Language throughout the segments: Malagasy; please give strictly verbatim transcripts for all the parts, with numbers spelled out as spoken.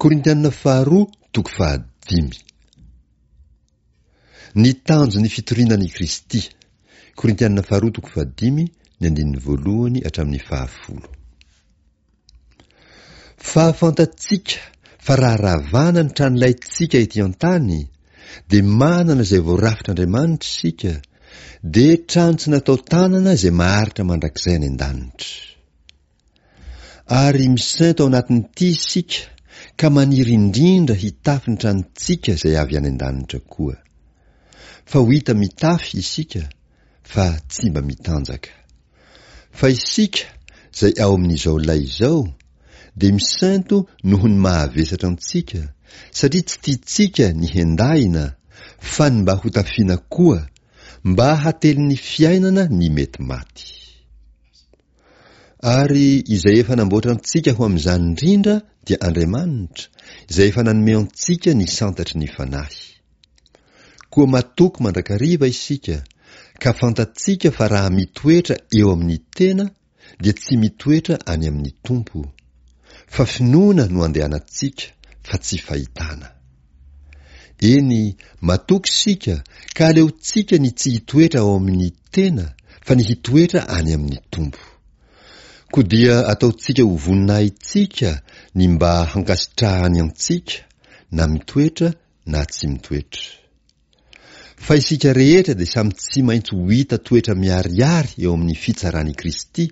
Korintianina faharoa toko fahadimy. Ny tanjon'ny fitoriana an'i Kristy. Korintianina faharoa toko fahadimy, ny andininy voalohany hatramin'ny fahafolo. Fa fantatsika fa raha ravana ny tranolaintsika ety an-tany, dia manana izay voarafitr'Andriamanitra isika, dia trano tsy natao tanana izay maharitra mandrakizay any an-danitra. Ary misento ao anatin'ity isika ka maniry indrindra hitafy ny tranontsika izay avy any an-danitra koa. Fa ho hita mitafy isika fa tsy mba mitanjaka. Fa isika izay ao amin'izao lay izao dia misento noho ny mahavesatra antsika, satria tsy tiantsika ny hendahina fa ny mba hotafiana koa, mba hatelin'ny fiainana ny mety maty. Ary izay efa namboatra antsika ho amin'izany indrindra dia Andriamanitra, izay efa nanome antsika ny santatry ny Fanahy. Koa matoky mandrakariva isika, ka fantatsika fa raha mitoetra eo amin'ny tena dia tsy mitoetra any amin'ny Tompo. Fa finoana no andehanantsika, fa tsy fahitana. Eny, matoky isika ka aleontsika ny tsy hitoetra ao amin'ny tena fa ny hitoetra any amin'ny Tompo. Koa dia ataontsika ho voninahitsika ny mba hankasitrahany antsika na mitoetra na tsy mitoetra. Fa isika rehetra dia samy tsy maintsy ho hita toetra miharihary eo amin'ny fitsaran'i Kristy,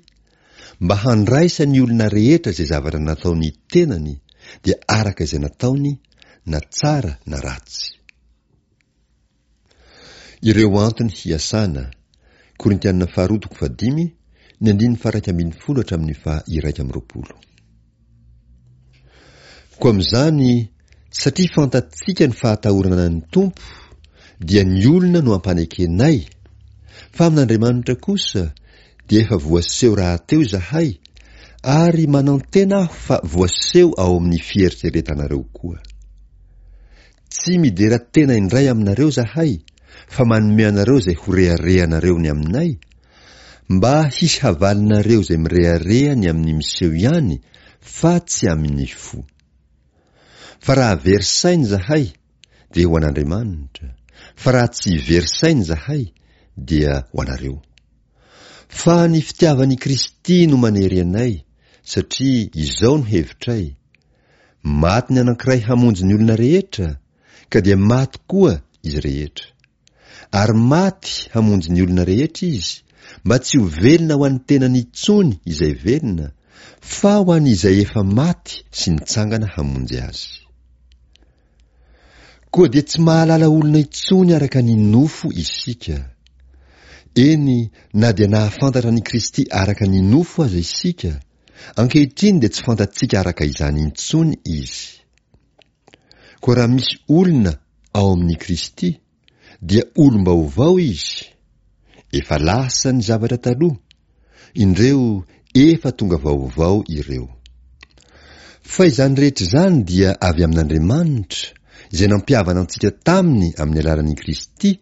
mba handraisan'ny olona rehetra izay zavatra nataony tenany, dia araka izay nataony, na tsara na ratsy. Ireo antony hiasana, Korintiana faharoa toko fahadimy, ny andininy faha-iraika ambin'ny folo hatramin'ny faha-iraika amby roapolo. Koa amin'izany, satria fantatsika ny fahatahorana ny Tompo, dia ny olona no ampanekenay, fa amin'Andriamanitra kosa dia efa voaseho rahateo izahay, ary manantena aho fa voaseho ao amin'ny fieritreretanareo koa. Tsy midera tena indray aminareo izahay, fa manome anareo izay ho reharehanareo ny aminay, mba hisy havalinareo izay mirehareha ny amin'ny miseho ihany fa tsy amin'ny fo. Fa raha very saina izahay, dia ho an'Andriamanitra, fa raha tsy very saina izahay, dia ho anareo. Fa ny fitiavan'i Kristy no manery anay, satria izao no hevitray, maty ny anankiray hamonjy ny olona rehetra, ka dia maty koa izy rehetra. Ary maty hamonjy ny olona rehetra izy, mba tsy ho velona ho an'ny tenany intsony izay velona, fa ho an'izay efa maty sy nitsangana hamonjy azy. Koa dia tsy mahalala olona intsony araka ny nofo isika. Eny, na dia nahafantatra an'i Kristy araka ny nofo aza isika, ankehitriny dia tsy fantatsika araka izany intsony izy. Koa raha misy olona ao amin'i Kristy, dia olom-baovao izy. Efa lasa ny zavatra taloha, indreo efa tonga vaovao ireo. Fa izany rehetra izany dia avy amin'Andriamanitra, izay nampihavana antsika taminy amin'ny alalan'i Kristy,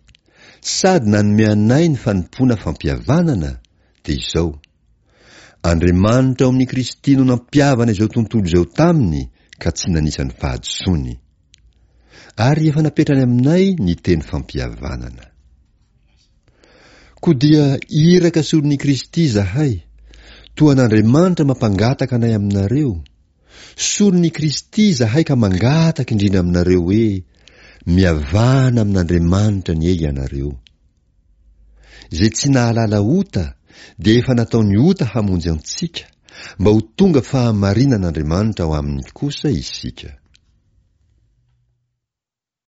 sady nanome anay ny fanompoana fampihavanana, dia izao, Andriamanitra ao amin'i Kristy no nampihavana izao tontolo izao taminy ka tsy nanisa ny fahadisoany. Ary efa napetrany aminay ny teny fampihavanana. Koa dia iraka solon'i Kristy izahay, toa an'Andriamanitra mampangataka anay aminareo. Solon'i Kristy izahay ka mangataka indrindra aminareo hoe, mihavana amin'Andriamanitra anie ianareo. Izay tsy nahalala ota dia efa nataony ota hamonjy antsika, mba ho tonga fahamarinan'Andriamanitra ao aminy kosa isika.